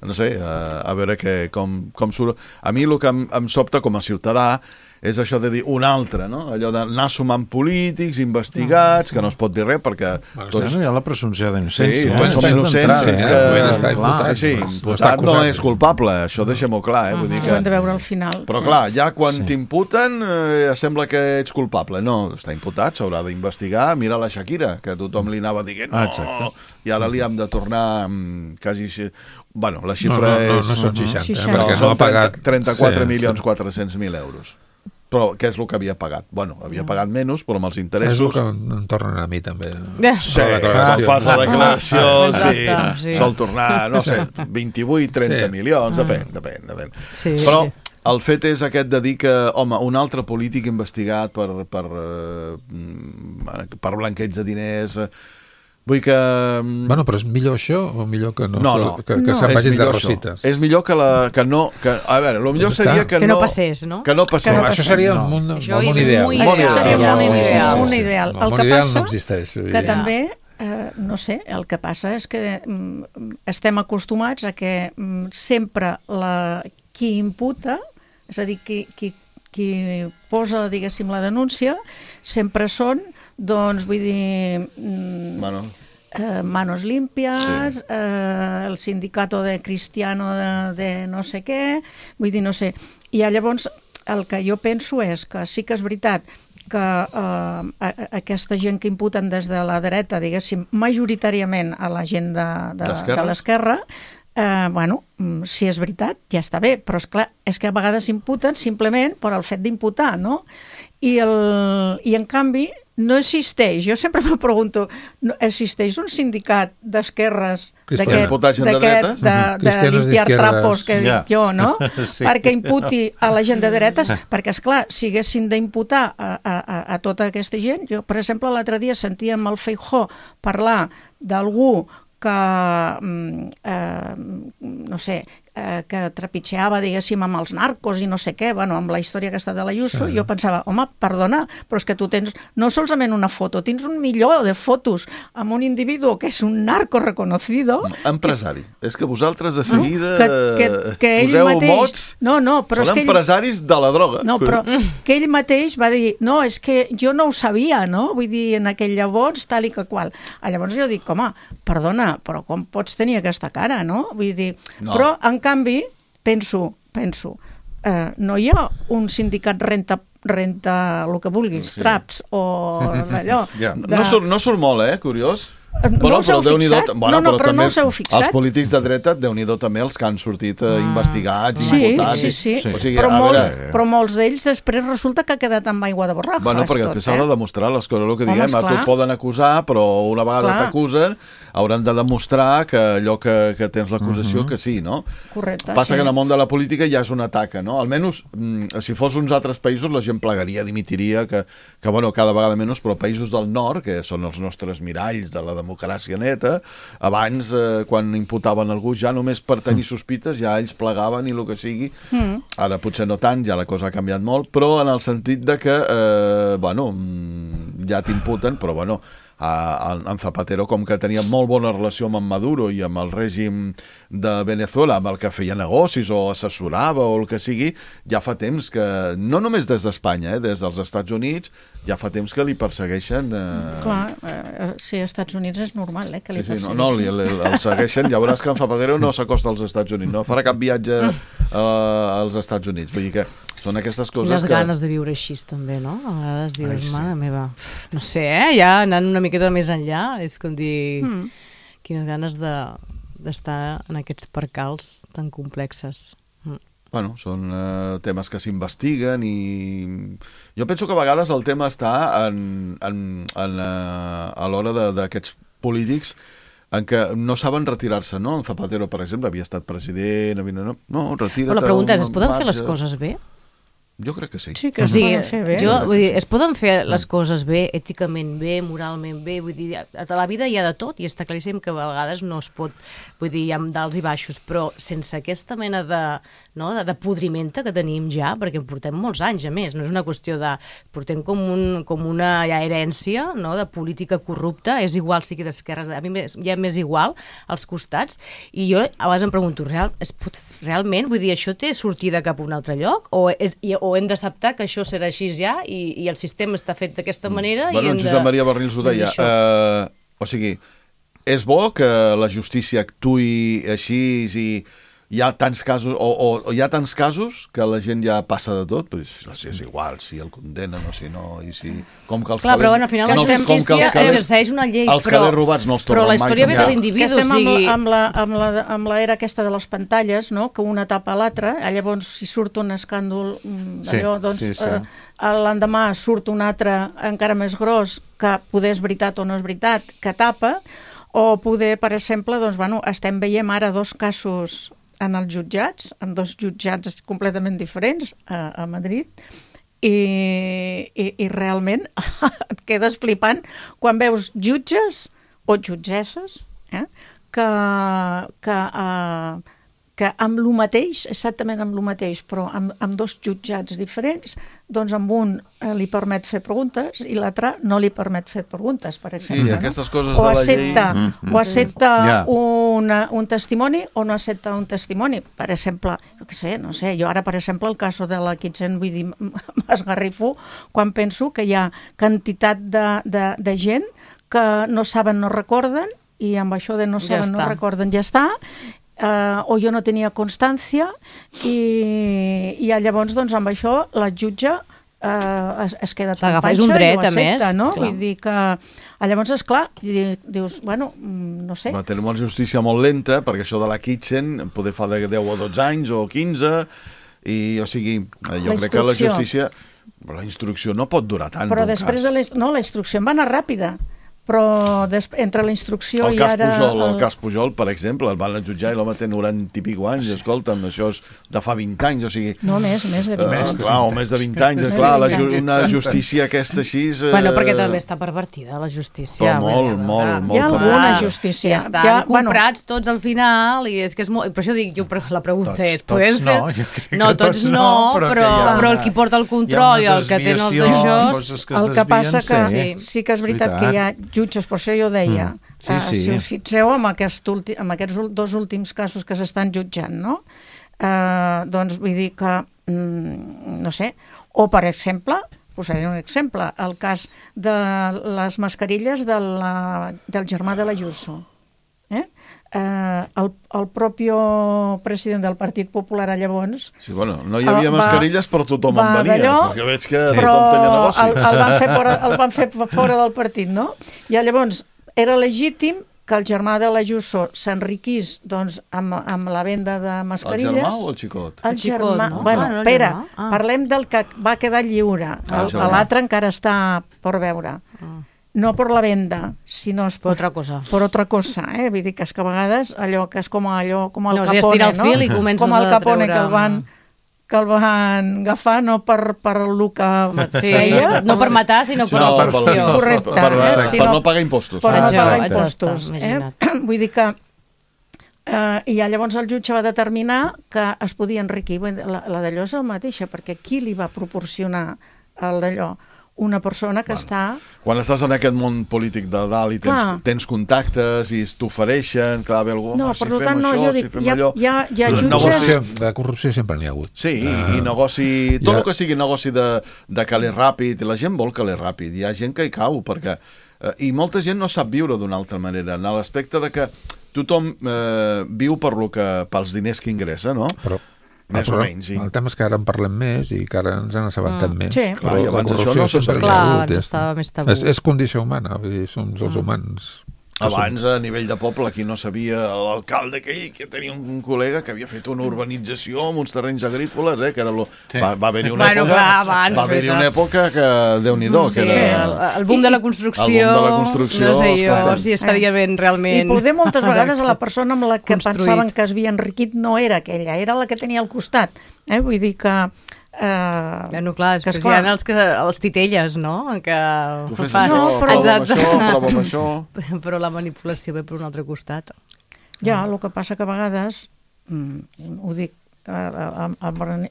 no sé, a veure com surt. A mi el que em sobta com a ciutadà és això de dir un altre, no? Allò d'anar sumant polítics, investigats, que no es pot dir res perquè... Tots... hi ha la presumpció d'innocència. Sí, tots som innocents fins que... Sí, imputat no és culpable, això deixem-ho clar, vull dir que... Ho hem de veure al final. Però clar, ja quan t'imputen sembla que ets culpable. No, està imputat, s'haurà d'investigar. Mira la Shakira, que tothom li anava dient no, i ara li hem de tornar quasi... Bueno, la xifra és... No són 60, perquè no ha pagat... 34.400.000 euros. Però què és el que havia pagat? Bueno, havia pagat menys, però amb els interessos... És el que em tornen a mi, també. Sí, quan fas la declaració, sí, sol tornar, no sé, 28-30 milions, depèn. Però el fet és aquest de dir que, home, un altre polític investigat per blanqueig de diners... Vull que... Bueno, però és millor això o millor que que se'n vagin de rosites? És millor que no... A veure, el millor seria que no passés, no? Que no passés. Això seria el món ideal. Un ideal. El que passa no existeix. Que també, no sé, el que passa és que estem acostumats a que sempre qui imputa, és a dir, qui posa, diguéssim, la denúncia, sempre són, doncs, vull dir... Manos limpias, el sindicato de cristiano de no sé què, vull dir, no sé. I llavors el que jo penso és que sí que és veritat que aquesta gent que imputen des de la dreta, diguéssim, majoritàriament a la gent de l'esquerra, bueno, si és veritat, ja està bé, però esclar, és que a vegades imputen simplement per al fet d'imputar, no? I en canvi no existeix, jo sempre me pregunto, existeix un sindicat d'esquerres de limpiar trapos que dic jo, no? Perquè imputi a la gent de dretes, perquè esclar, si haguessin d'imputar a tota aquesta gent, jo per exemple l'altre dia sentíem el Feijóo parlar d'algú que, no sé, trepitgeava, diguéssim, amb els narcos i no sé què, bueno, amb la història aquesta de l'Ayuso, jo pensava, home, perdona, però és que tu tens no solament una foto, tens un milió de fotos amb un individu que és un narco reconocido. Empresari. És que vosaltres de seguida que poseu mots. No, però són empresaris de la droga. No, però que ell mateix va dir, no, és que jo no ho sabia, no? Vull dir, en aquell llavors, tal i que qual. Llavors jo dic, home, perdona, però com pots tenir aquesta cara, no? Vull dir, però en canvi, penso, no hi ha un sindicat renta el que vulguis, traps o allò. No surt molt, curiós. No us heu fixat? Però no us heu fixat. Els polítics de dreta, Déu-n'hi-do també els que han sortit investigats i imputats. Sí. Però molts d'ells després resulta que ha quedat amb aigua de borrajo. Bueno, perquè després s'ha de demostrar les coses, el que diguem, a tu et poden acusar, però una vegada t'acusen hauran de demostrar que allò que tens l'acusació que sí, no? Correcte. Passa que en el món de la política ja és un atac, no? Almenys, si fos uns altres països, la gent plegaria, dimitiria, que bueno, cada vegada menys, però països del nord, que són els nostres miralls de la democràcia neta, abans, quan imputaven algú, ja només per tenir sospites, ja ells plegaven i el que sigui. Ara potser no tant, ja la cosa ha canviat molt, però en el sentit de que, bueno, ja t'imputen, però bueno, en Zapatero, com que tenia molt bona relació amb en Maduro i amb el règim de Venezuela, amb el que feia negocis o assessorava o el que sigui, ja fa temps que, no només des d'Espanya, des dels Estats Units, ja fa temps que li persegueixen. Clar, sí, als Estats Units és normal, que li persegueixen. No, el segueixen, ja veuràs que en Zapatero no s'acosta als Estats Units, no farà cap viatge als Estats Units, vull dir que són aquestes coses les ganes de viure així també, no? A vegades dius, mare meva, no sé, ja anant una miqueta més enllà, és com dir quines ganes d'estar en aquests percals tan complexes. Bueno, són temes que s'investiguen i jo penso que a vegades el tema està a l'hora d'aquests polítics en què no saben retirar-se, no? En Zapatero, per exemple, havia estat president, no, retira't. Però la pregunta és, es poden fer les coses bé? Jo crec que sí. Sí que es poden fer bé. Vull dir, es poden fer les coses bé, èticament bé, moralment bé, vull dir, a la vida hi ha de tot i està claríssim que a vegades no es pot, vull dir, hi ha dals i baixos, però sense aquesta mena de podrimenta que tenim ja, perquè portem molts anys, a més, no és una qüestió de... portem com una herència, no?, de política corrupta, és igual sigui d'esquerres, a mi ja m'és igual als costats, i jo a vegades em pregunto, realment, vull dir, això té sortida cap a un altre lloc? O hem d'acceptar que això serà així ja i el sistema està fet d'aquesta manera i hem de... Josep Maria Barrils ho deia. O sigui, és bo que la justícia actuï així i hi ha tants casos o hi ha tants casos que la gent ja passa de tot, però és igual si el condenen o si no, i si... Com que els clar, però al final la justícia exerceix una llei, els calés robats no els tornen mai. Però la història ve de l'individu, o sigui... amb l'era aquesta de les pantalles, no?, que una tapa l'altra, llavors si surt un escàndol d'allò, doncs l'endemà surt un altre encara més gros que poder és veritat o no és veritat, que tapa, o poder, per exemple, doncs, bueno, estem veient ara dos casos en els jutjats, en dos jutjats completament diferents a Madrid, i realment et quedes flipant quan veus jutges o jutgesses que amb el mateix, exactament amb el mateix, però amb dos jutjats diferents, doncs amb un li permet fer preguntes i l'altre no li permet fer preguntes, per exemple. Sí, aquestes coses de la llei... O accepta un testimoni o no accepta un testimoni. Per exemple, no sé, jo ara, per exemple, el cas de la Kitchen, vull dir, m'esgarrifo quan penso que hi ha quantitat de gent que no saben, no recorden, i amb això de no saben, no recorden, ja està, o jo no tenia constància i llavors doncs amb això la jutge es queda tan panxa és un dret, i ho accepta, no? Vull dir que llavors és clar, dius, bueno, no sé. Tenim una justícia molt lenta perquè això de la Kitchen poder fa de 10 o 12 anys o 15 i o sigui, jo crec que la justícia la instrucció no pot durar tant. Però després la instrucció va anar ràpida, però entre la instrucció i ara... El cas Pujol, per exemple, el van jutjar i l'home té 90 i pico anys, escolta'm, això és de fa 20 anys, o sigui... No, més de 20 anys. Clar, o més de 20 anys, clar, una justícia aquesta així... Bueno, perquè també està pervertida, la justícia. Però molt. Hi ha alguna justícia. Ja estan comprats tots al final, i és que és molt... Per això dic, la pregunta és... Tots no, no, tots no, però el qui porta el control i el que té els d'això... El que passa que sí que és veritat que hi ha jutges, per això jo deia, si us fixeu en aquests 2 últims casos que s'estan jutjant, no? Doncs vull dir que, no sé, o per exemple, posaré un exemple, el cas de les mascarilles del germà de l'Ayuso. El propi president del Partit Popular llavors... Sí, bueno, no hi havia mascarilles, però tothom en venia, perquè veig que tothom tenia negoci. El van fer fora del partit, no? I llavors era legítim que el germà de l'Ayuso s'enriquís amb la venda de mascarilles. El germà o el xicot? El germà. Bueno, espera, parlem del que va quedar lliure. L'altre encara està per veure. No per la venda, sinó per otra cosa. Per otra cosa, vull dir que és que a vegades allò que és com el Capone, no? Estira el fil i comences com el Capone que el van agafar no per el que feia, no per matar, sinó per corrupció. Correcte. Per no pagar impostos. Per no pagar impostos. Vull dir que i llavors el jutge va determinar que es podia enriquir. La d'allò és el mateixa, perquè qui li va proporcionar el d'allò? Una persona que està... Quan estàs en aquest món polític de dalt i tens contactes i t'ofereixen, clar, ve algú, si fem això, si fem allò... Hi ha jutges... De corrupció sempre n'hi ha hagut. Sí, i negoci... Tot el que sigui negoci de caler ràpid, la gent vol caler ràpid, hi ha gent que hi cau, perquè... I molta gent no sap viure d'una altra manera, en l'aspecte de que tothom viu pels diners que ingressa, no? Més o menys, sí. El tema és que ara en parlem més i que ara ens han assabentat més. Sí. Clar, i abans això no se sabia. Clar, estava més tabú. És condició humana, vull dir, som els humans. Abans, a nivell de poble, aquí no sabia l'alcalde aquell que tenia un col·lega que havia fet una urbanització amb uns terrenys agrícoles, que era va haver-hi una època que Déu-n'hi-do. El boom de la construcció, no sé jo si estaria ben realment... I poder moltes vegades la persona amb la que pensaven que es havia enriquit no era aquella, era la que tenia al costat. Vull dir que... Bueno, clar, després hi ha els titelles, no? Que tu fes això, prova amb això. Però la manipulació ve per un altre costat. Ja, el que passa que a vegades, ho dic,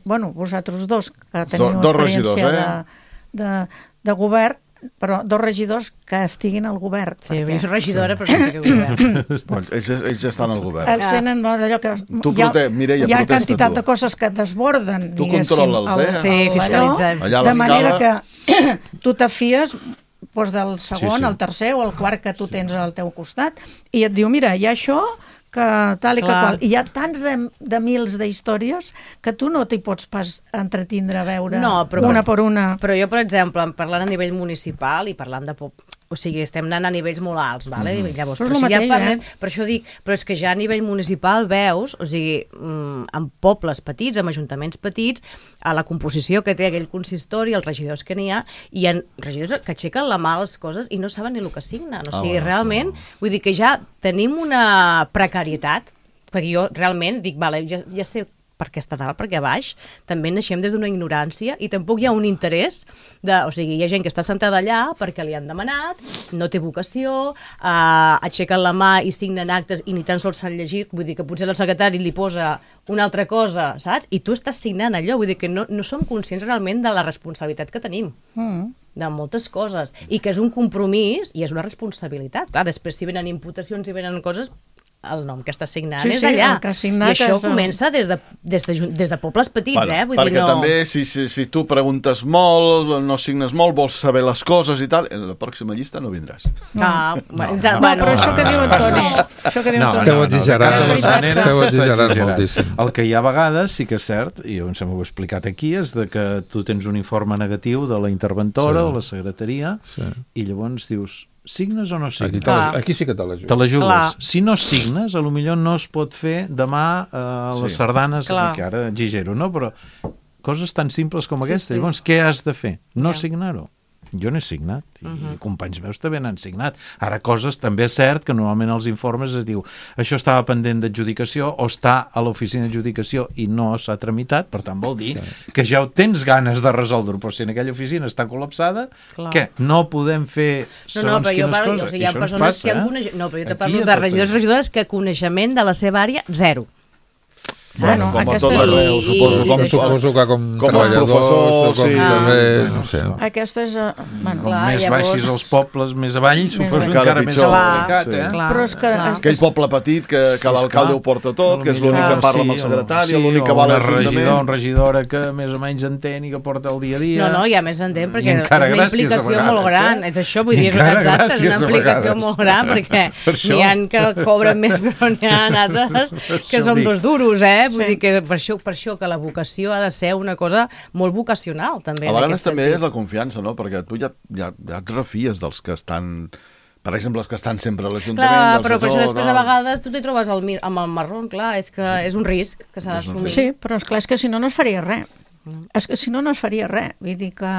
bueno, vosaltres dos, que teniu experiència de govern, però 2 regidors que estiguin al govern. Sí, jo soc regidora, però no sé què govern. Ells estan al govern. Ells tenen allò que... Mireia, hi ha quantitat de coses que desborden, tu controla'ls, Sí, fiscalitzem. De manera que tu te fies del segon, el tercer o el quart que tu tens al teu costat i et diu, mira, hi ha això... que tal i que qual. I hi ha tants de mils d'històries que tu no t'hi pots pas entretindre a veure una per una. Però jo, per exemple, parlant a nivell municipal i parlant de... O sigui, estem anant a nivells molt alts, vale? Llavors, però si ja parlem, per això dic, però és que ja a nivell municipal veus, o sigui, en pobles petits, en ajuntaments petits, a la composició que té aquell consistori, els regidors que n'hi ha, hi ha regidors que aixequen la mà a les coses i no saben ni el que signen. O sigui, realment, vull dir que ja tenim una precarietat, perquè jo realment dic, vale, ja sé per què està dalt, perquè a baix, també naixem des d'una ignorància i tampoc hi ha un interès o sigui, hi ha gent que està sentada allà perquè li han demanat, no té vocació, aixequen la mà i signen actes i ni tan sols s'han llegit, vull dir que potser el secretari li posa una altra cosa, saps? I tu estàs signant allò, vull dir que no som conscients realment de la responsabilitat que tenim. De moltes coses, i que és un compromís i és una responsabilitat. Clar, després si venen imputacions i venen coses, el nom que està signant és allà. I això comença des de pobles petits, vull dir, perquè també, si tu preguntes molt, no signes molt, vols saber les coses i tal, en la pròxima llista no vindràs. Però això que diu Antoni... Esteu exagerant moltíssim. El que hi ha a vegades, sí que és cert, i em sembla que ho he explicat aquí, és que tu tens un informe negatiu de la interventora o la secretaria i llavors dius... Signes o no signes? Aquí sí que te la jugues. Te la jugues. Si no signes, potser no es pot fer demà les sardanes, que ara exagero, no? Però coses tan simples com aquestes. Llavors, què has de fer? No signar-ho. Jo n'he signat, i companys meus també n'han signat. Ara, coses també és cert que normalment als informes es diu això estava pendent d'adjudicació o està a l'oficina d'adjudicació i no s'ha tramitat, per tant vol dir que ja tens ganes de resoldre-ho, però si en aquella oficina està col·lapsada, què? No podem fer segons quines coses? Hi ha persones que no, però jo te parlo de regidors i regidores que coneixement de la seva àrea, zero. Bueno, com a tot arreu, suposo que com treballadors, també, no sé. Aquesta és... Com més baixis els pobles, més avall, suposo encara més complicat, Però és que... Aquell poble petit que l'alcalde ho porta tot, que és l'únic que parla amb el secretari, l'únic que va a l'Ajuntament. Un regidora que més o menys entén i que porta el dia a dia. No, ja més entén, perquè és una implicació molt gran. És això, vull dir, és exacte, és una implicació molt gran, perquè n'hi ha que cobren més, però n'hi ha altres que són dos duros, Vull dir que per això que la vocació ha de ser una cosa molt vocacional, també. A vegades també és la confiança, no? Perquè tu ja et refies dels que estan... Per exemple, els que estan sempre a l'Ajuntament... Clar, però per això després a vegades tu t'hi trobes amb el marró, clar, és que és un risc que s'ha d'assumir. Sí, però esclar, és que si no es faria res. És que si no es faria res. Vull dir que...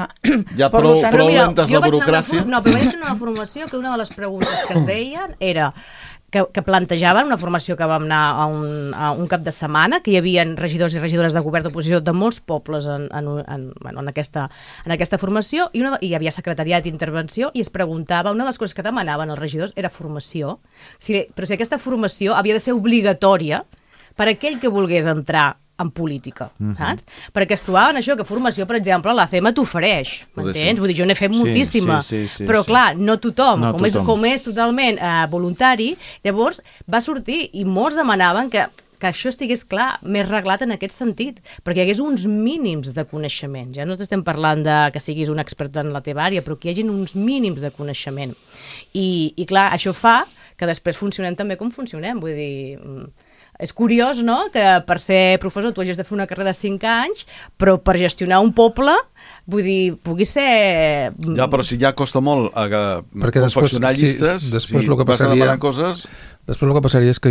Ja prou lentes la burocràcia. No, però vaig anar a una formació que una de les preguntes que es deien era... que plantejaven una formació que vam anar a un cap de setmana, que hi havia regidors i regidores de govern d'oposició de molts pobles en aquesta formació, i hi havia secretariat i intervenció, i es preguntava, una de les coses que demanaven els regidors era formació, però si aquesta formació havia de ser obligatòria per a aquell que volgués entrar en política, saps? Perquè es trobaven això, que formació, per exemple, la CEMA t'ofereix, m'entens? Vull dir, jo n'he fet moltíssima, però clar, no tothom, com és totalment voluntari, llavors va sortir i molts demanaven que això estigués clar, més reglat en aquest sentit, perquè hi hagués uns mínims de coneixement. Ja no estem parlant de que siguis un expert en la teva àrea, però que hi hagi uns mínims de coneixement. I clar, això fa que després funcionem també com funcionem, vull dir... És curiós, no?, que per ser professor tu hagis de fer una carrera de 5 anys, però per gestionar un poble, vull dir, pugui ser... Ja, però si ja costa molt confeccionar llistes, després el que passaria... Després el que passaria és que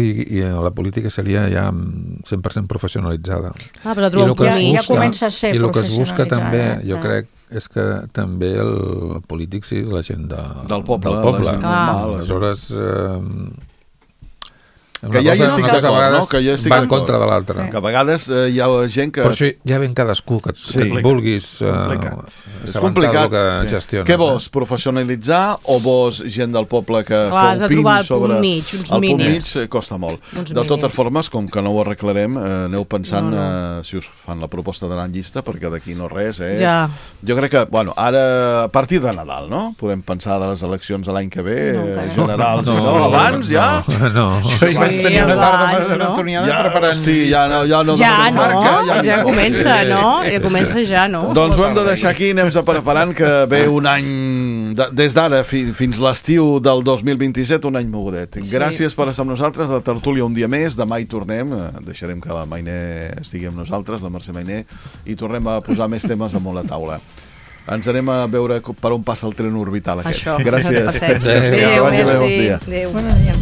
la política seria ja 100% professionalitzada. Però ja comença a ser professionalitzada. I el que es busca també, jo crec, és que també el polític sigui la gent del poble. Aleshores... Que ja hi estic d'acord, no? Que jo estic va en contra de l'altre. Que a vegades hi ha gent que... Per això ja ven cadascú que vulguis assabentar el que gestiones. Què vols, professionalitzar o vols gent del poble que opini sobre... El punt mig costa molt. De totes formes, com que no ho arreglarem, aneu pensant si us fan la proposta d'anar en llista, perquè d'aquí no res, Jo crec que, bueno, ara a partir de Nadal, no? Podem pensar de les eleccions de l'any que ve, generals, no? Abans, ja? No. Vaig tenir una tarda maratoniana preparant... Sí, ja comença, no? Ja comença ja, no? Doncs ho hem de deixar aquí, anem preparant que ve un any, des d'ara fins l'estiu del 2027, un any mogudet. Gràcies per estar amb nosaltres, a la tertúlia un dia més, demà hi tornem, deixarem que la Mainé estigui amb nosaltres, la Mercè Mainé, i tornem a posar més temes damunt la taula. Ens anem a veure per on passa el tren orbital aquest. Gràcies. Adéu, merci. Adéu. Bon dia.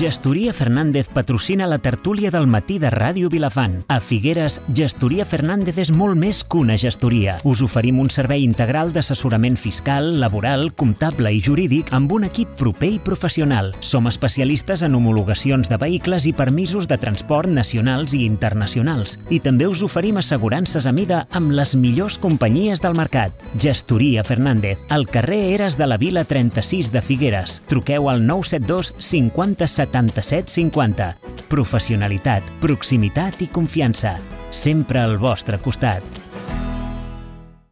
Gestoria Fernández patrocina la tertúlia del matí de Ràdio Vilafant. A Figueres, Gestoria Fernández és molt més que una gestoria. Us oferim un servei integral d'assessorament fiscal, laboral, comptable i jurídic amb un equip proper i professional. Som especialistes en homologacions de vehicles i permisos de transport nacionals i internacionals. I també us oferim assegurances a mida amb les millors companyies del mercat. Gestoria Fernández, al carrer Eres de la Vila 36 de Figueres. Truqueu al 972 50 77 50. Professionalitat, proximitat i confiança. Sempre al vostre costat.